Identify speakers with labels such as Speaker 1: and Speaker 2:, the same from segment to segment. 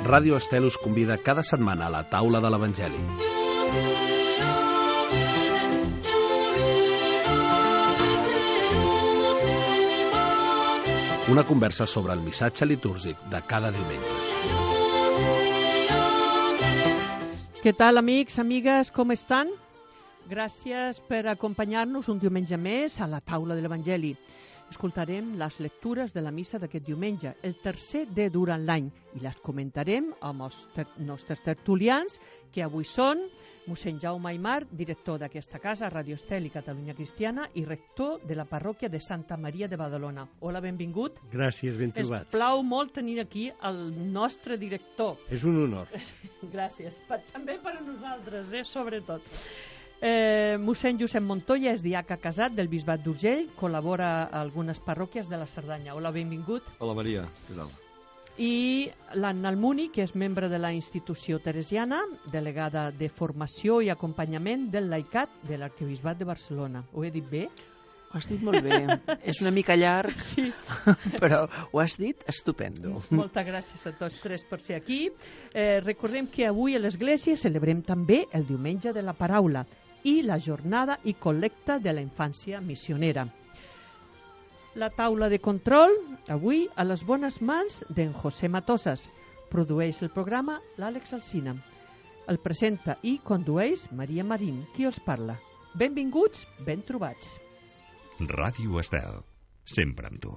Speaker 1: Ràdio Estel us convida cada setmana a la taula de l'Evangeli. Una conversa sobre el missatge litúrgic de cada diumenge.
Speaker 2: Què tal, amics, amigues, com estan? Gràcies per acompanyar-nos un diumenge més a la taula de l'Evangeli. Escoltarem les lectures de la missa d'aquest diumenge, el tercer de durant l'any, i les comentarem amb els nostres tertulians, que avui són mossèn Jaume Aymar, director d'aquesta casa, Radio Estel i Catalunya Cristiana, i rector de la parròquia de Santa Maria de Badalona. Hola, benvingut.
Speaker 3: Gràcies, ben trobats.
Speaker 2: Ens plau molt tenir aquí el nostre director.
Speaker 3: És un honor.
Speaker 2: Gràcies. També per a nosaltres, sobretot. Mossèn Josep Montoya és diaca casat del Bisbat d'Urgell, col·labora a algunes parròquies de la Cerdanya. Hola, benvingut.
Speaker 4: Hola, Maria. Què tal?
Speaker 2: I l'Anna Almuni, que és membre de la institució teresiana, delegada de formació i acompanyament del laicat de l'Arquebisbat de Barcelona. Ho he dit bé?
Speaker 5: Ho has dit molt bé. És una mica llarg,
Speaker 2: sí.
Speaker 5: Però ho has dit estupendo.
Speaker 2: Moltes gràcies a tots tres per ser aquí. Recordem que avui a l'Església celebrem també el Diumenge de la Paraula i la jornada i col·lecta de la infància missionera. La taula de control, avui a les bones mans d'en José Matosas. Produeix el programa l'Àlex Alsina. El presenta i condueix Maria Marín, qui us parla. Benvinguts, ben trobats.
Speaker 6: Ràdio Estel, sempre amb tu.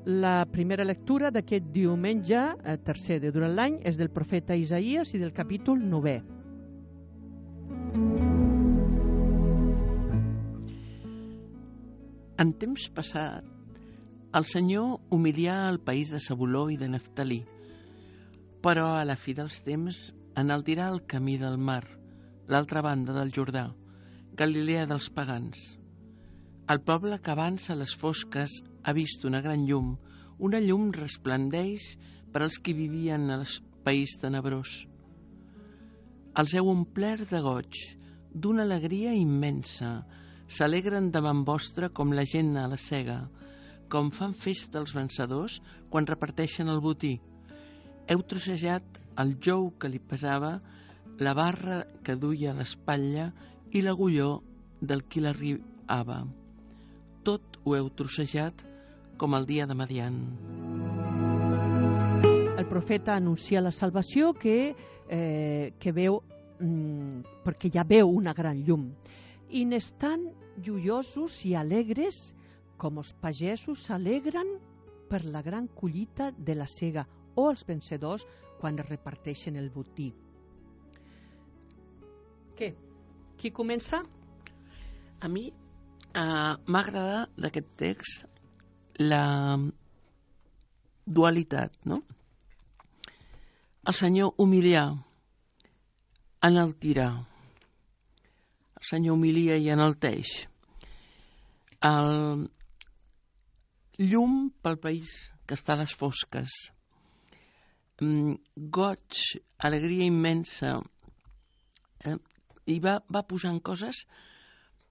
Speaker 2: La primera lectura d'aquest diumenge, tercer de durant l'any, és del profeta Isaïes i del capítol 9.
Speaker 5: En temps passat, el Senyor humilià el país de Zabuló i de Neftalí, però a la fi dels temps enaltirà el camí del mar, l'altra banda del Jordà, Galilea dels pagans. El poble que avança a les fosques ha vist una gran llum. Una llum resplendeix per als que vivien al país tenebrós. Els heu omplert de goig, d'una alegria immensa. S'alegren davant vostre com la gent a la sega, com fan festa els vencedors quan reparteixen el botí. Heu trossejat el jou que li pesava, la barra que duia a l'espatlla i l'agulló del qui l'arribava. Tot ho heu trossejat com el dia de Madian.
Speaker 2: El profeta anuncia la salvació que veu, perquè ja veu una gran llum. I n'estan joiosos i alegres com els pagesos s'alegren per la gran collita de la sega o els vencedors quan es reparteixen el botí. Què? Qui comença?
Speaker 5: A mi m'ha agradat d'aquest text la dualitat, no? El Senyor humilià, enaltirà. El Senyor humilia i enalteix. El llum pel país que està a les fosques. Goig, alegria immensa. I va posant coses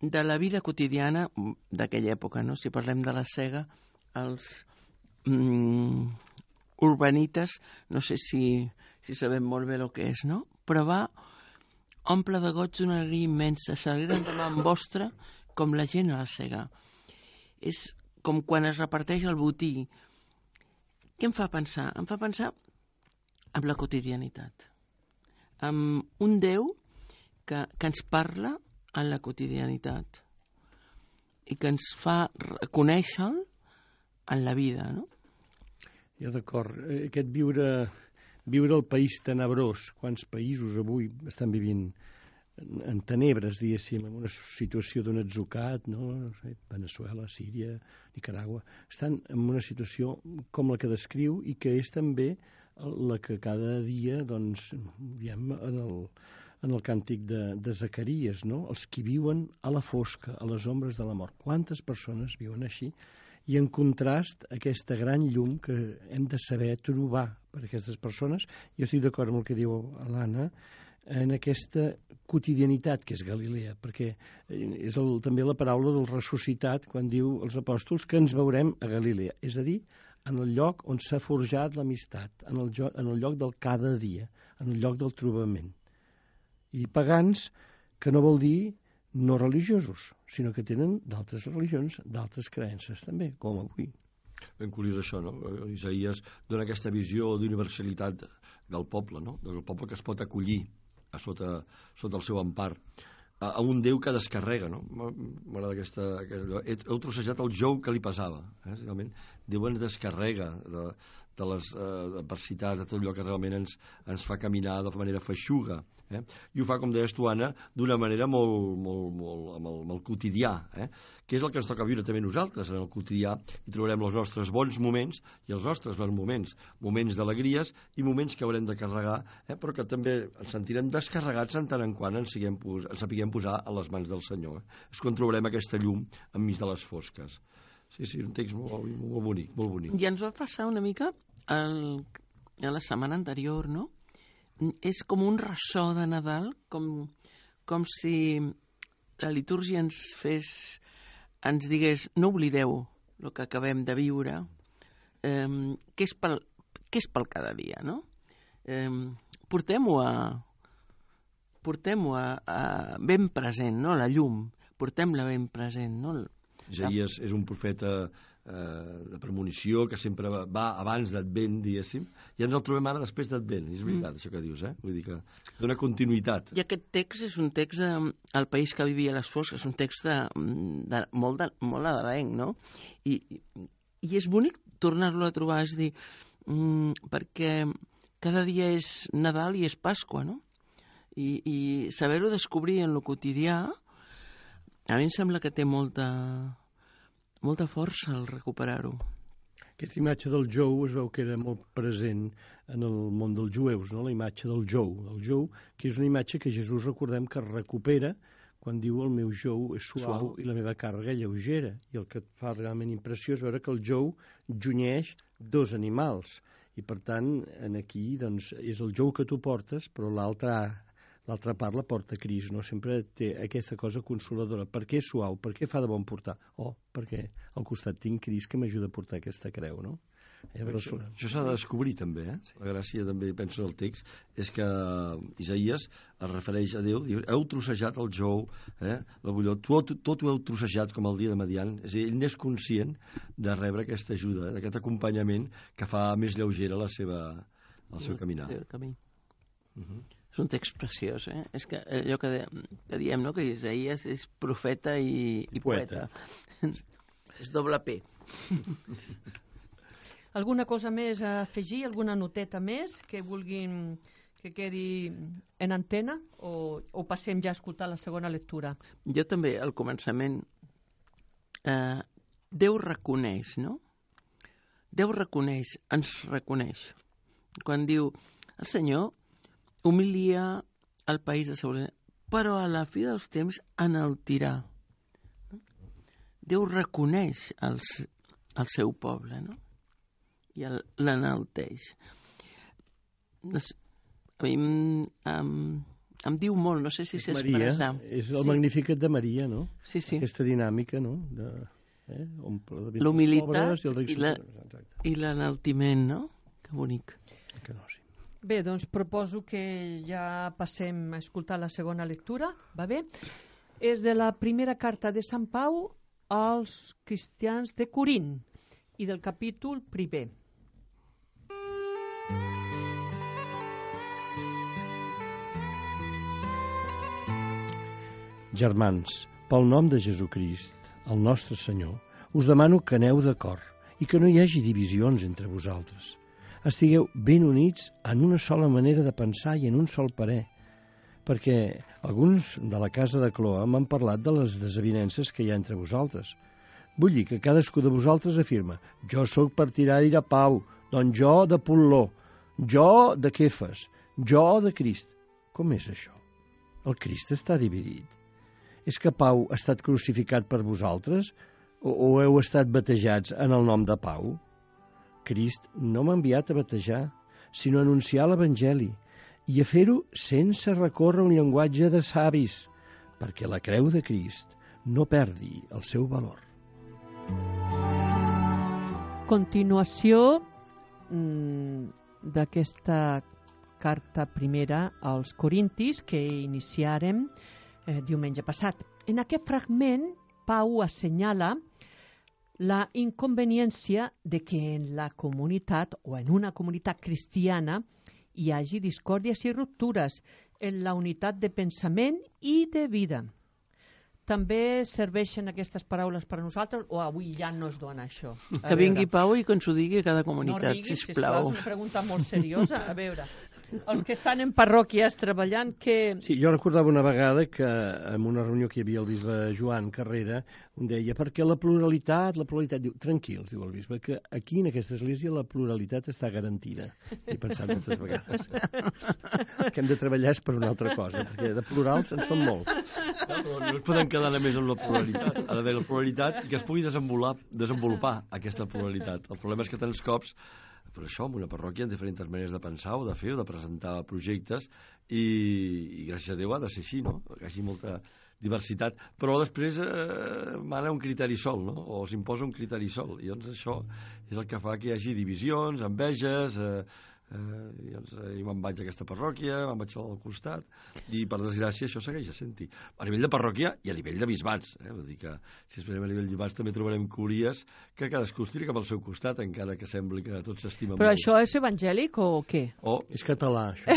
Speaker 5: de la vida quotidiana d'aquella època, no? Si parlem de la sega, els urbanites, no sé si sabem molt bé el que és, no? Però va omple de goig d'una alegria immensa, s'alegren davant vostre com la gent a la sega. És com quan es reparteix el botí. Què em fa pensar? Em fa pensar en la quotidianitat, amb un Déu que ens parla en la quotidianitat i que ens fa conèixer-lo en la vida, no?
Speaker 3: Ja d'acord. Aquest viure el país tenebrós, quants països avui estan vivint en tenebres, diguéssim, en una situació d'un atzucat, no? Veneçuela, Síria, Nicaragua, estan en una situació com la que descriu i que és també la que cada dia, doncs, diem, en el càntic de Zacaries, no? Els que viuen a la fosca, a les ombres de la mort. Quantes persones viuen així? I en contrast, aquesta gran llum que hem de saber trobar per a aquestes persones. Jo estic d'acord amb el que diu l'Anna, en aquesta quotidianitat que és Galilea, perquè és també la paraula del ressuscitat quan diu els apòstols que ens veurem a Galilea, és a dir, en el lloc on s'ha forjat l'amistat, en el lloc del cada dia, en el lloc del trobament. I pagans, que no vol dir no religiosos, sinó que tenen d'altres religions, d'altres creences també, com avui.
Speaker 4: Ben curiós això, no? Isaías dona aquesta visió d'universalitat del poble, no? Del poble que es pot acollir sota el seu empar, a un Déu que descarrega, no? M'agrada aquesta... Heu trossejat el jou que li pesava, realment. Déu ens descarrega de les adversitats, de tot allò que realment ens fa caminar de manera feixuga. I ho fa, com deies tu, Anna, d'una manera molt quotidià, que és el que ens toca viure també nosaltres. En el quotidià hi trobarem els nostres bons moments i els nostres bons moments d'alegries i moments que haurem de carregar, però que també ens sentirem descarregats en tant en quant ens sapiguem posar a les mans del Senyor. És quan trobarem aquesta llum enmig de les fosques. Sí, un text molt bonic, molt bonic.
Speaker 5: I ens va passar una mica a la setmana anterior, no? És com un ressò de Nadal, com si la litúrgia ens digués no oblideu el que acabem de viure, que és pel cada dia, no? Portem-ho ben present, no? La llum, portem-la ben present, no?
Speaker 4: Isaías és un profeta de premonició que sempre va abans d'Advent, diguéssim, i ens el trobem ara després d'Advent. És veritat, això que dius, Vull dir que dona continuïtat.
Speaker 5: I aquest text és un text del país que vivia a les fosques, és un text molt adalenc, no? I és bonic tornar-lo a trobar, és dir, perquè cada dia és Nadal i és Pasqua, no? I saber-ho descobrir en lo quotidià, a mi em sembla que té molta força al recuperar-ho.
Speaker 3: Aquesta imatge del jou es veu que era molt present en el món dels jueus, no? La imatge del jou. El jou, que és una imatge que Jesús, recordem, que recupera quan diu el meu jou és suau i la meva càrrega lleugera. I el que et fa realment impressió és veure que el jou junyeix dos animals. I per tant, aquí doncs, és el jou que tu portes, però l'altra part la porta Crist, no? Sempre té aquesta cosa consoladora. Per què és suau? Per què fa de bon portar? Perquè al costat tinc Crist que m'ajuda a portar aquesta creu, no?
Speaker 4: Això s'ha de descobrir també, Sí. La gràcia també, penso en el text, és que Isaías es refereix a Déu, diu, heu trossejat el jou, la bulló, tot ho heu trossejat com el dia de Madian, és a dir, ell n'és conscient de rebre aquesta ajuda, d'aquest acompanyament que fa més lleugera el seu caminar.
Speaker 5: El camí. És un text preciós, És que allò que diem, no?, que Isaías és profeta i poeta. És doble P.
Speaker 2: Alguna cosa més a afegir? Alguna noteta més que vulguin que quedi en antena? O passem ja a escoltar la segona lectura?
Speaker 5: Jo també, al començament, Déu reconeix, no? Déu reconeix, ens reconeix. Quan diu, el Senyor humilia el país de Saul, però a la fi dels temps enaltirà. Déu reconeix el seu poble, no? I l'enalteix. A mi em diu molt, no sé si s'expressa.
Speaker 3: És el Magnificat de Maria, no?
Speaker 5: Sí.
Speaker 3: Aquesta dinàmica, no?
Speaker 5: La humilitat i l'enaltiment, no? Que bonic.
Speaker 3: Que no, sí.
Speaker 2: Bé, doncs proposo que ja passem a escoltar la segona lectura, va bé? És de la primera carta de Sant Pau als cristians de Corint i del capítol 1.
Speaker 3: Germans, pel nom de Jesucrist, el nostre Senyor, us demano que aneu d'acord i que no hi hagi divisions entre vosaltres. Estigueu ben units en una sola manera de pensar i en un sol parer, perquè alguns de la casa de Cloa m'han parlat de les desavinences que hi ha entre vosaltres. Vull dir que cadascú de vosaltres afirma, jo sóc partidari de Pau, doncs jo de Pol·ló, jo de Kefas, jo de Crist. Com és això? El Crist està dividit. És que Pau ha estat crucificat per vosaltres o heu estat batejats en el nom de Pau? Crist no m'ha enviat a batejar, sinó a anunciar l'Evangeli, i a fer-ho sense recórrer un llenguatge de savis, perquè la creu de Crist no perdi el seu valor.
Speaker 2: Continuació d'aquesta carta primera als Corintis que iniciarem diumenge passat. En aquest fragment, Pau assenyala la inconveniència de que en la comunitat o en una comunitat cristiana hi hagi discòrdies i ruptures en la unitat de pensament i de vida. També serveixen aquestes paraules per a nosaltres o avui ja no es dona això?
Speaker 5: Que vingui Pau i que ens ho digui a cada comunitat,
Speaker 2: no riguis,
Speaker 5: sisplau.
Speaker 2: És una pregunta molt seriosa. A veure, els que estan en parròquies treballant, que...
Speaker 3: Sí, jo recordava una vegada que en una reunió que hi havia el bisbe Joan Carrera, em deia, perquè la pluralitat, diu, tranquils, diu el bisbe, que aquí en aquesta església la pluralitat està garantida. He pensat moltes vegades. El que hem de treballar és per una altra cosa, perquè de plurals en són molts.
Speaker 4: No es poden quedar només amb la pluralitat. Ha d'haver la pluralitat i que es pugui desenvolupar aquesta pluralitat. El problema és que tants cops, per això, en una parròquia, en diferents maneres de pensar o de fer o de presentar projectes i gràcies a Déu ha de ser així, no? Que hi hagi molta diversitat, però després mana un criteri sol, no? O s'imposa un criteri sol, i doncs això és el que fa que hi hagi divisions, enveges, jo me'n vaig a aquesta parròquia, me'n vaig al costat, i per desgràcia això segueix sent-hi. A nivell de parròquia i a nivell de bisbats, vull dir que si esperem a nivell de bisbats també trobarem curies que cadascú estira cap al seu costat, encara que sembli que tots s'estimen
Speaker 2: Però
Speaker 4: molt.
Speaker 2: això és evangèlic o què?
Speaker 3: És català, això.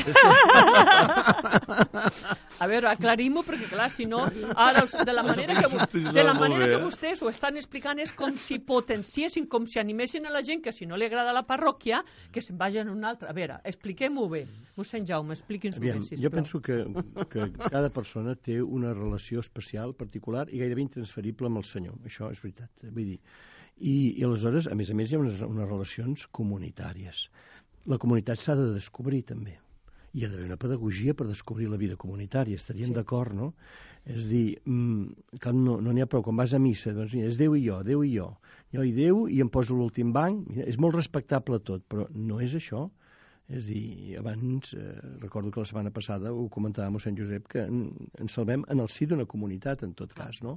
Speaker 2: A veure, aclarim-ho, perquè clar, si no, ara de la manera que vostès ho estan explicant és com si potenciessin, com si animessin a la gent que si no li agrada la parròquia, que se'n vagin a una altra. A veure, expliquem-ho bé. Mossèn Jaume, expliqui'ns-ho bé, sisplau.
Speaker 3: Jo penso que cada persona té una relació especial, particular i gairebé intransferible amb el Senyor. Això és veritat. Vull dir, i aleshores, a més, hi ha unes relacions comunitàries. La comunitat s'ha de descobrir, també. Hi ha d'haver una pedagogia per descobrir la vida comunitària. Estaríem d'acord, no? És dir, no n'hi ha prou. Quan vas a missa, doncs mira, és Déu i jo, Déu i jo. Jo i Déu i em poso l'últim banc. Mira, és molt respectable tot, però no és això. És dir, abans, recordo que la setmana passada ho comentava mossèn Josep, que ens salvem en el si d'una comunitat, en tot cas, no?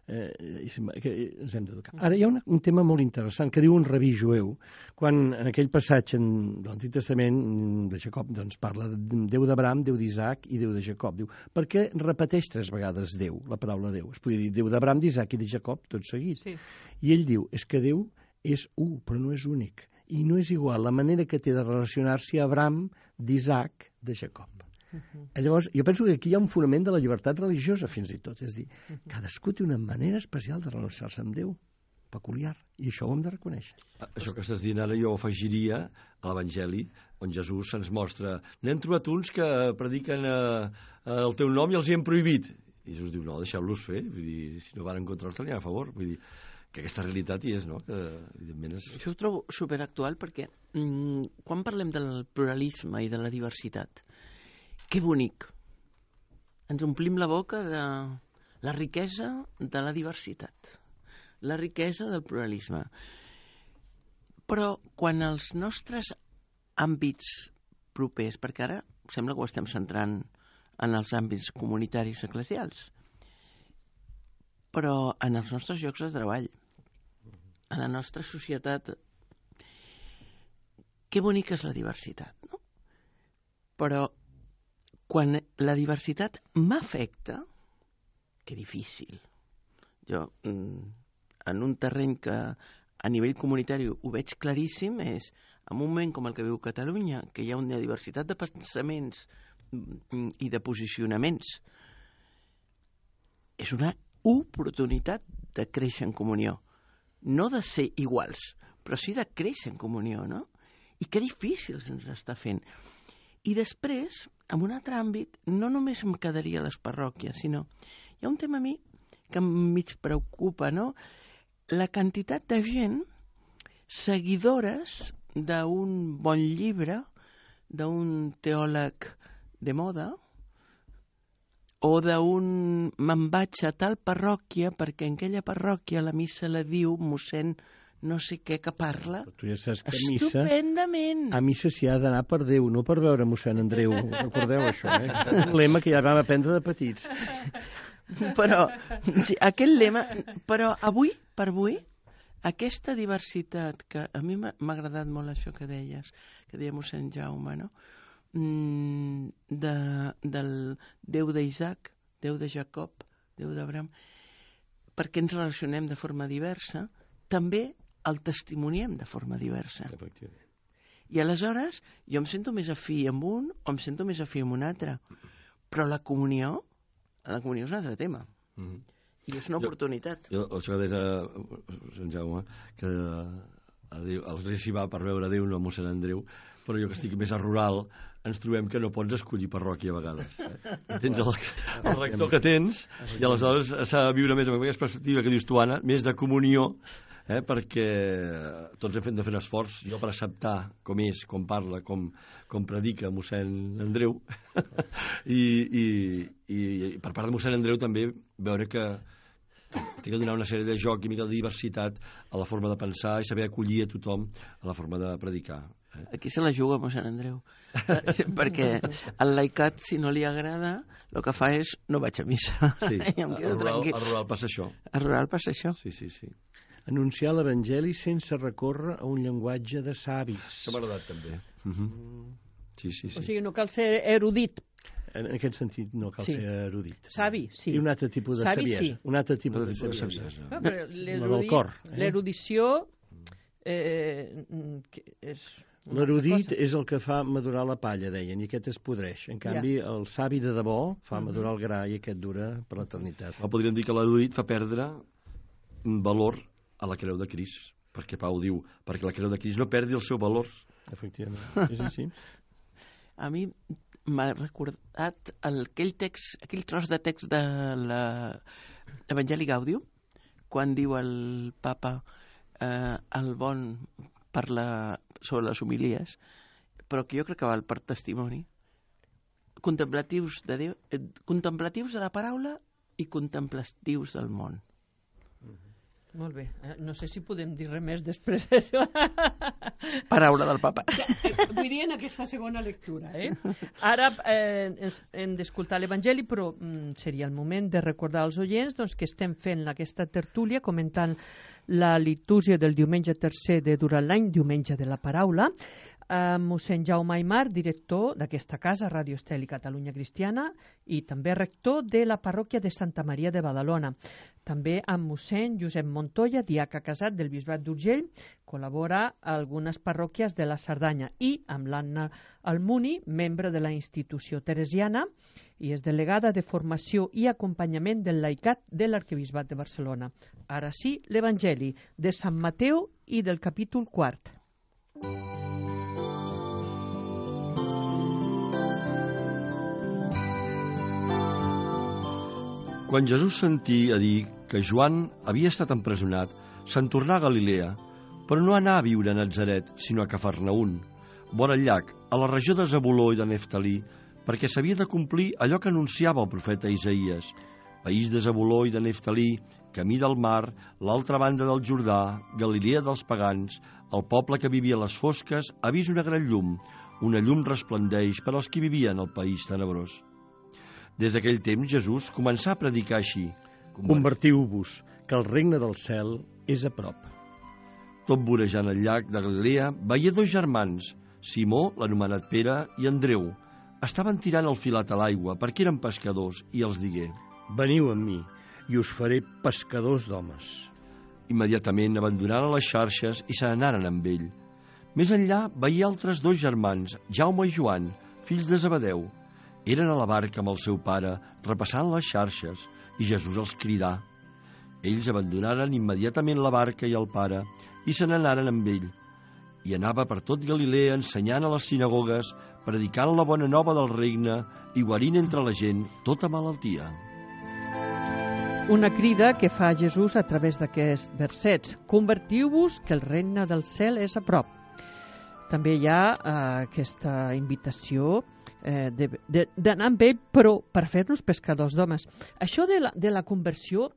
Speaker 3: Que ens hem d'educar. Ara hi ha un tema molt interessant que diu un rabí jueu, quan en aquell passatge de l'Antic Testament de Jacob doncs, parla de Déu d'Abraham, Déu d'Isaac i Déu de Jacob. Diu, per què repeteix 3 vegades Déu, la paraula Déu? Es podria dir Déu d'Abraham, d'Isaac i de Jacob, tot seguit. Sí. I ell diu, és que Déu és un, però no és únic. I no és igual la manera que té de relacionar-s'hi Abraham, d'Isaac, de Jacob. Llavors, jo penso que aquí hi ha un fonament de la llibertat religiosa, fins i tot. És dir, cadascú té una manera especial de relacionar-se amb Déu, peculiar, i això ho hem de reconèixer.
Speaker 4: Això que estàs dient ara jo ho afegiria a l'Evangeli, on Jesús se'ns mostra, n'hem trobat uns que prediquen el teu nom i els hi hem prohibit. I Jesús diu, no, deixeu-los fer, vull dir, si no van en contra nostre, n'hi ha a favor, vull dir, que aquesta realitat hi és, no? Que, evidentment és...
Speaker 5: Això ho trobo superactual perquè quan parlem del pluralisme i de la diversitat, que bonic. Ens omplim la boca de la riquesa de la diversitat, la riquesa del pluralisme. Però quan els nostres àmbits propers, perquè ara sembla que ho estem centrant en els àmbits comunitaris eclesials, però en els nostres llocs de treball, en la nostra societat, que bonica és la diversitat, no? Però quan la diversitat m'afecta, que difícil. Jo, en un terreny que a nivell comunitari ho veig claríssim, és en un moment com el que viu Catalunya, que hi ha una diversitat de pensaments i de posicionaments, és una oportunitat de créixer en comunió. No de ser iguals, però sí de créixer en comunió, no? I que difícil se'ns està fent. I després, en un altre àmbit, no només em quedaria a les parròquies, sinó hi ha un tema a mi que mig preocupa, no? La quantitat de gent seguidores d'un bon llibre, d'un teòleg de moda, o d'un me'n vaig a tal parròquia perquè en aquella parròquia la missa la diu mossèn no sé què que parla
Speaker 3: Tu ja saps que a missa
Speaker 5: estupendament.
Speaker 3: s'hi ha d'anar per Déu, no per veure mossèn Andreu. Recordeu això, Un lema que ja vam aprendre de petits.
Speaker 5: Però, sí, aquest lema... Però avui, per avui, aquesta diversitat, que a mi m'ha agradat molt això que deies, que deia mossèn Jaume, no? Del Déu d'Isaac, Déu de Jacob, Déu d'Abraham, perquè ens relacionem de forma diversa, també el testimoniem de forma diversa. I aleshores jo em sento més afí amb un o em sento més afí amb un altre. Però la comunió és un altre tema. I és una oportunitat.
Speaker 4: Això que deia Sant Jaume, que el rei s'hi va per veure Déu, no a mossèn Andreu, però jo que estic més a rural ens trobem que no pots escollir parròquia a vegades. Tens el rector que tens i aleshores s'ha de viure més amb aquesta perspectiva que dius tu, Anna, més de comunió, perquè tots hem de fer un esforç, jo per acceptar com és, com parla, com predica mossèn Andreu i per part de mossèn Andreu també veure que té que donar una sèrie de joc i mica de diversitat a la forma de pensar i saber acollir a tothom a la forma de predicar.
Speaker 5: Aquí se la juga mossèn Andreu, perquè el laicat, si no li agrada, el que fa és no vaig a missa.
Speaker 4: Sí, a rural passa això.
Speaker 5: A rural passa això.
Speaker 4: Sí, sí, sí.
Speaker 3: Anunciar l'Evangeli sense recórrer a un llenguatge de savis.
Speaker 4: Això m'ha agradat també. Sí, sí, sí.
Speaker 2: O sigui, no cal ser erudit.
Speaker 3: En aquest sentit no cal ser erudit.
Speaker 2: Savi, sí.
Speaker 3: I un altre tipus de saviesa.
Speaker 2: Sí.
Speaker 3: Un altre tipus de saviesa.
Speaker 2: L'erudició és...
Speaker 3: L'erudit és el que fa madurar la palla, deien, i aquest es podreix. En canvi, el savi de debò fa madurar el gra i aquest dura per l'eternitat.
Speaker 4: Podríem dir que l'erudit fa perdre valor a la creu de Crist, perquè Pau diu, perquè la creu de Crist no perdi el seu valor.
Speaker 3: Efectivament, és així.
Speaker 5: A mi m'ha recordat aquell tros de text de l'Evangeli Gaudium, quan diu el papa el bon parla sobre les homilies, però que jo crec que val per testimoni. Contemplatius de Déu, contemplatius de la paraula i contemplatius del món.
Speaker 2: Molt bé. No sé si podem dir res més després d'això.
Speaker 5: Paraula del papa.
Speaker 2: Vull dir en aquesta segona lectura. Ara hem d'escoltar l'Evangeli, però seria el moment de recordar als oients que estem fent aquesta tertúlia comentant la litúrgia del diumenge tercer de durant l'any, diumenge de la paraula, mossèn Jaume Aymar, director d'aquesta casa, Ràdio Estel i Catalunya Cristiana, i també rector de la parròquia de Santa Maria de Badalona. També amb mossèn Josep Montoya, diaca casat del Bisbat d'Urgell, col·labora a algunes parròquies de la Cerdanya, i amb l'Anna Almuni, membre de la institució teresiana, i és delegada de formació i acompanyament del laicat de l'Arquebisbat de Barcelona. Ara sí, l'Evangeli de Sant Mateu i del capítol 4.
Speaker 4: Quan Jesús sentí a dir que Joan havia estat empresonat, se'n tornà a Galilea, però no anà a viure a Natzaret, sinó a Cafarnaún, vora el llac, a la regió de Zebuló i de Neftalí, perquè s'havia de complir allò que anunciava el profeta Isaïes. País de Zebuló i de Neftalí, camí del mar, l'altra banda del Jordà, Galilea dels pagans, el poble que vivia a les fosques ha vist una gran llum. Una llum resplendeix per als que vivien al país tenebrós. Des d'aquell temps Jesús començà a predicar així.
Speaker 3: Convertiu-vos, que el regne del cel és a prop.
Speaker 4: Tot vorejant el llac de Galilea, veia dos germans, Simó, l'anomenat Pere, i Andreu. Estaven tirant el filat a l'aigua perquè eren pescadors, i els digué:
Speaker 3: Veniu amb mi, i us faré pescadors d'homes.
Speaker 4: Immediatament abandonaren les xarxes i se n'anaren amb ell. Més enllà veia altres dos germans, Jaume i Joan, fills de Zebedeu. Eren a la barca amb el seu pare, repassant les xarxes, i Jesús els cridà. Ells abandonaren immediatament la barca i el pare, i se n'anaren amb ell. I anava per tot Galilea ensenyant a les sinagogues, predicant la bona nova del regne i guarint entre la gent tota malaltia.
Speaker 2: Una crida que fa Jesús a través d'aquests versets. Convertiu-vos, que el regne del cel és a prop. També hi ha aquesta invitació d'anar amb ell, però per fer-nos pescadors d'homes. Això de la conversió,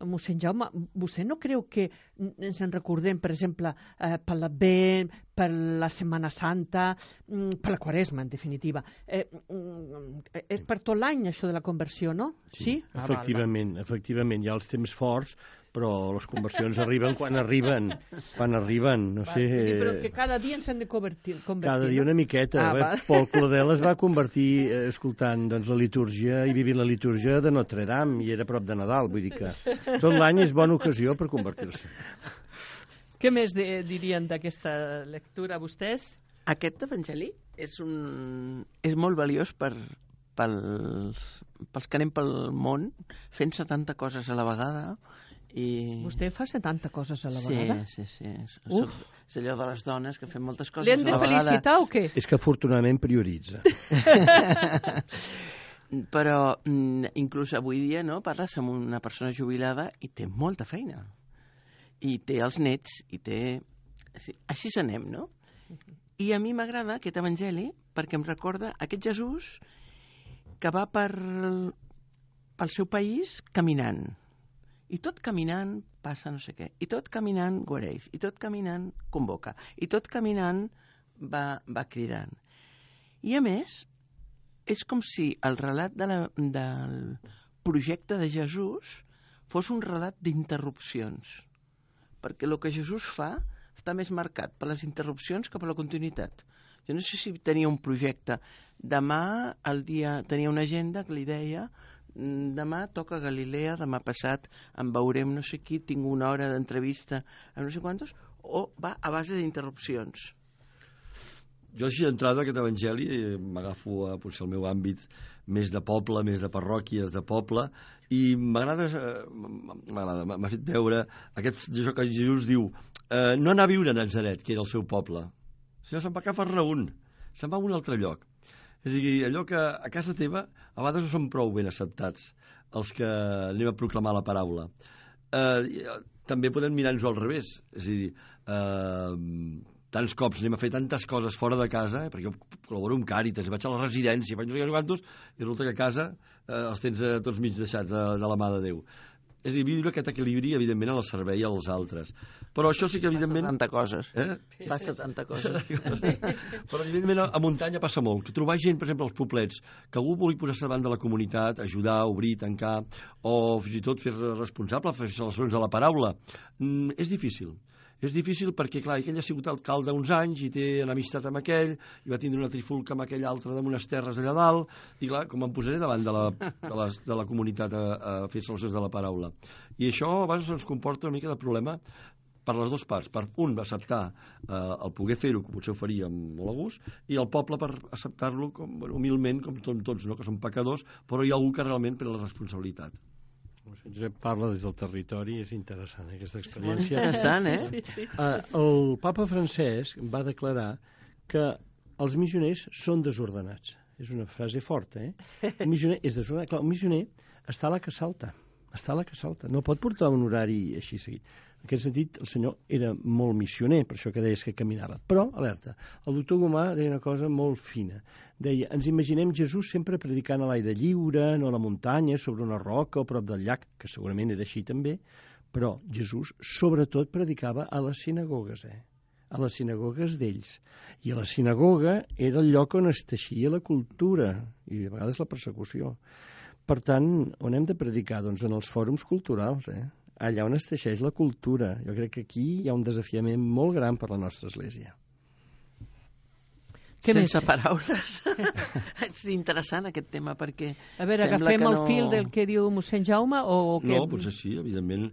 Speaker 2: mossèn Jaume, vostè no creu que ens en recordem, per exemple, per l'Advent, per la Setmana Santa, per la Quaresma, en definitiva. És per tot l'any, això de la conversió, no? Sí?
Speaker 3: Efectivament, efectivament. Hi ha els temps forts, però les conversions arriben quan arriben. Quan arriben, no sé...
Speaker 2: Però que cada dia ens hem de convertir.
Speaker 3: Cada dia una miqueta. Paul Claudel es va convertir escoltant la litúrgia i vivint la litúrgia de Notre Dame, i era a prop de Nadal, vull dir que tot l'any és bona ocasió per convertir-se.
Speaker 2: Què més dirien d'aquesta lectura, vostès?
Speaker 5: Aquest evangeli és molt valiós pels que anem pel món fent 70 coses a la vegada.
Speaker 2: Vostè fa 70 coses a la vegada?
Speaker 5: Sí. És allò de les dones que fem moltes coses a la vegada.
Speaker 2: L'hem de felicitar o què?
Speaker 3: És que afortunadament prioritza.
Speaker 5: Però inclús avui dia parles amb una persona jubilada i té molta feina. I té els nets, i té... Així s'anem, no? I a mi m'agrada aquest evangeli perquè em recorda aquest Jesús que va pel seu país caminant. I tot caminant passa no sé què. I tot caminant guareix. I tot caminant convoca. I tot caminant va cridant. I a més, és com si el relat del projecte de Jesús fos un relat d'interrupcions. Perquè el que Jesús fa està més marcat per les interrupcions que per la continuïtat. Jo no sé si tenia un projecte. Demà tenia una agenda que li deia... Demà toca Galilea, demà passat en veurem no sé qui, tinc una hora d'entrevista amb no sé quantos, o va a base d'interrupcions?
Speaker 4: Jo així d'entrada aquest evangeli m'agafo a potser el meu àmbit més de poble, més de parròquies de poble, i m'agrada, m'ha fet veure això que Jesús diu, no anar a viure a Natzaret, que era el seu poble, sinó se'n va cap a Cafarnaüm, se'n va a un altre lloc. És a dir, allò que a casa teva a vegades no són prou ben acceptats els que anem a proclamar la paraula. També podem mirar-nos al revés. És a dir, tants cops anem a fer tantes coses fora de casa, perquè jo col·laboro amb Càritas, vaig a la residència, vaig no sé quantos, i resulta que a casa els tens tots mig deixats de la mà de Déu. És a dir, viure aquest equilibri, evidentment, al servei als altres. Però això sí que, evidentment...
Speaker 5: Passa tanta coses. Passa tanta coses.
Speaker 4: Però, evidentment, a muntanya passa molt. Que trobar gent, per exemple, als poblets, que algú vulgui posar-se davant de la comunitat, ajudar, obrir, tancar, o fins i tot fer responsable, fer celebracions a la paraula, és difícil. És difícil perquè, clar, ell ha sigut alcalde uns anys i té enemistat amb aquell, i va tindre una trifulca amb aquell altre d'unes terres allà dalt, i clar, com em posaré davant de la comunitat a fer celebracions de la paraula. I això a vegades ens comporta una mica de problema per les dues parts. Per un, va acceptar el poder fer-ho, que potser ho faria amb molt a gust, i el poble per acceptar-lo humilment, com tots, no? Que són pecadors, però hi ha algú que realment pren la responsabilitat.
Speaker 3: Josep parla des del territori, és interessant aquesta experiència.
Speaker 5: És interessant,
Speaker 2: Sí.
Speaker 3: El papa Francesc va declarar que els missioners són desordenats. És una frase forta, El missioner és desordenat. Clar, el missioner està a la que salta. No pot portar un horari així seguit. En aquest sentit, el senyor era molt missioner, per això que deies que caminava. Però, alerta, el doctor Gomà deia una cosa molt fina. Deia, ens imaginem Jesús sempre predicant a l'aire lliure, no a la muntanya, sobre una roca o prop del llac, que segurament era així també, però Jesús sobretot predicava a les sinagogues, a les sinagogues d'ells. I a la sinagoga era el lloc on es teixia la cultura, i a vegades la persecució. Per tant, on hem de predicar? Doncs en els fòrums culturals, allà on es teixeix la cultura. Jo crec que aquí hi ha un desafiament molt gran per la nostra Església.
Speaker 5: Sense paraules. És interessant aquest tema perquè...
Speaker 2: A veure, agafem el fil del que diu mossèn Jaume o què?
Speaker 4: No, potser sí, evidentment.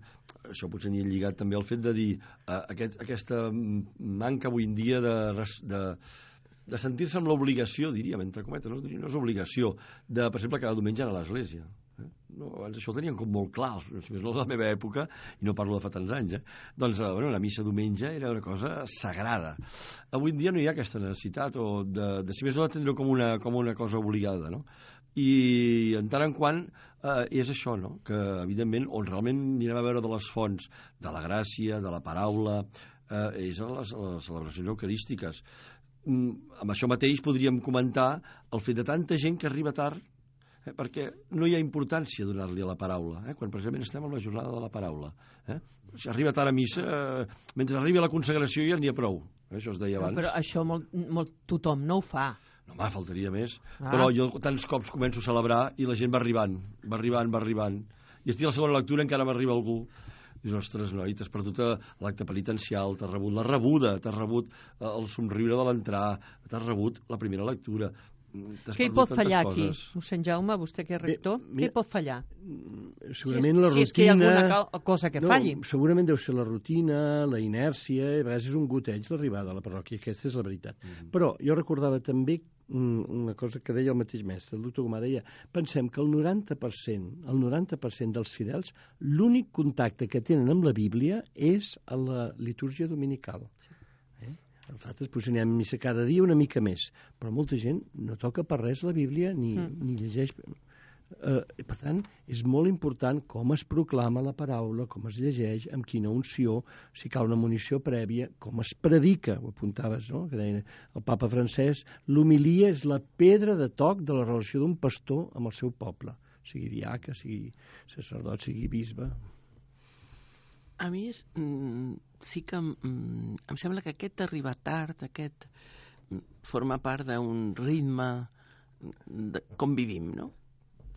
Speaker 4: Això potser n'hi ha lligat també al fet de dir aquesta manca avui en dia de sentir-se amb l'obligació, diríem, entre cometes, no és obligació, de, per exemple, cada diumenge anar a l'església. No, abans això ho tenien com molt clar, si més no de la meva època, i no parlo de fa tants anys, doncs la missa diumenge era una cosa sagrada. Avui en dia no hi ha aquesta necessitat, o de si més no d'atendre com una cosa obligada, no? I en tant en quant és això, no? Que evidentment on realment anirem a veure de les fonts de la gràcia, de la paraula, és a les celebracions eucarístiques. Amb això mateix podríem comentar el fet de tanta gent que arriba tard, perquè no hi ha importància a donar-li a la paraula, quan precisament estem en la jornada de la paraula. Si arriba tard a missa, mentre arribi a la consagració ja n'hi ha prou. Això es deia abans.
Speaker 2: Però això tothom no ho fa.
Speaker 4: No, home, faltaria més. Però jo tants cops començo a celebrar i la gent va arribant. I estic a la segona lectura encara m'arriba algú. Dius, ostres, noi, t'has perdut l'acte penitencial, t'has rebut la rebuda, t'has rebut el somriure de l'entrar, t'has rebut la primera lectura.
Speaker 2: Què hi pot fallar aquí, mossèn Jaume, vostè que és rector? Què hi pot fallar?
Speaker 3: Segurament la rutina...
Speaker 2: Si és que hi ha alguna cosa que falli.
Speaker 3: Segurament deu ser la rutina, la inèrcia, a vegades és un goteig l'arribada a la parròquia, aquesta és la veritat. Però jo recordava també una cosa que deia el mateix mestre, el doctor Gomà, deia, pensem que el 90% dels fidels, l'únic contacte que tenen amb la Bíblia és a la litúrgia dominical. Nosaltres potser anem a missa cada dia una mica més, però molta gent no toca per res la Bíblia ni llegeix. Per tant, és molt important com es proclama la paraula, com es llegeix, amb quina unció, si cal una munició prèvia, com es predica, ho apuntaves, no? Que deia el papa francès, l'homilia és la pedra de toc de la relació d'un pastor amb el seu poble, sigui diaca, sigui sacerdot, sigui bisbe.
Speaker 5: A mi sí que em sembla que aquest arribar tard, aquest forma part d'un ritme de com vivim, no?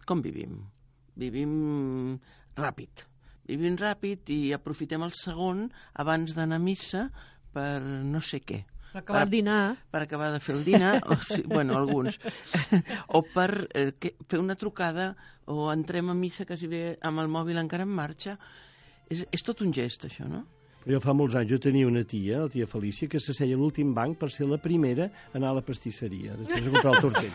Speaker 5: Com vivim? Vivim ràpid i aprofitem el segon abans d'anar a missa per no sé què.
Speaker 2: Per acabar el dinar. Per
Speaker 5: acabar de fer el dinar, bueno, alguns. O per fer una trucada, o entrem a missa quasi bé amb el mòbil encara en marxa. És tot un gest, això, no?
Speaker 3: Però jo fa molts anys, jo tenia una tia, la tia Felícia, que s'asseia a l'últim banc per ser la primera a anar a la pastisseria, després de comprar el tortell.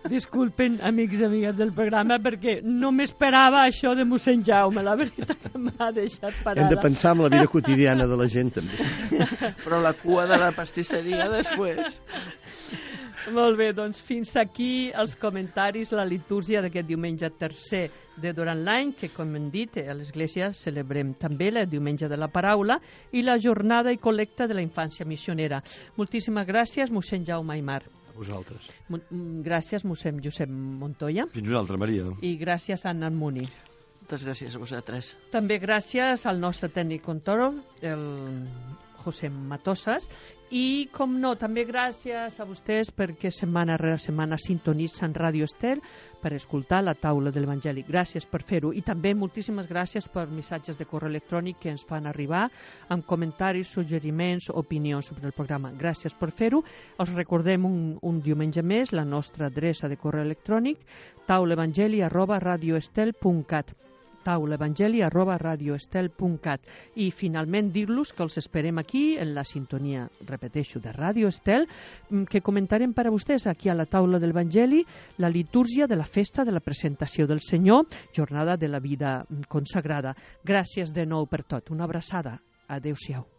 Speaker 2: Disculpen, amics i amigues del programa, perquè no m'esperava això de mossèn Jaume, la veritat que m'ha deixat parada.
Speaker 3: Hem de pensar en la vida quotidiana de la gent, també.
Speaker 5: Però la cua de la pastisseria després...
Speaker 2: Molt bé, doncs fins aquí els comentaris, la litúrgia d'aquest diumenge tercer de durant l'any, que com hem dit, a l'Església celebrem també el diumenge de la paraula i la jornada i col·lecta de la infància missionera. Moltíssimes gràcies, mossèn Jaume Aimar.
Speaker 3: A vosaltres.
Speaker 2: Gràcies, mossèn Josep Montoya.
Speaker 4: Fins una altra, Maria.
Speaker 2: I gràcies, Anna Almuni.
Speaker 5: Moltes gràcies a vosaltres.
Speaker 2: També gràcies al nostre tècnic control, el José Matosas, i, com no, també gràcies a vostès perquè setmana rere setmana sintonitzen Ràdio Estel per escoltar la taula de l'Evangeli. Gràcies per fer-ho. I també moltíssimes gràcies per missatges de correu electrònic que ens fan arribar amb comentaris, suggeriments, opinions sobre el programa. Gràcies per fer-ho. Els recordem un diumenge més la nostra adreça de correu electrònic taulaevangeli@radioestel.cat taulaevangeli@radioestel.cat. I finalment dir-los que els esperem aquí en la sintonia, repeteixo, de Ràdio Estel, que comentarem per a vostès aquí a la taula de l'Evangeli la litúrgia de la festa de la presentació del Senyor, jornada de la vida consagrada. Gràcies de nou per tot. Una abraçada. Adéu-siau.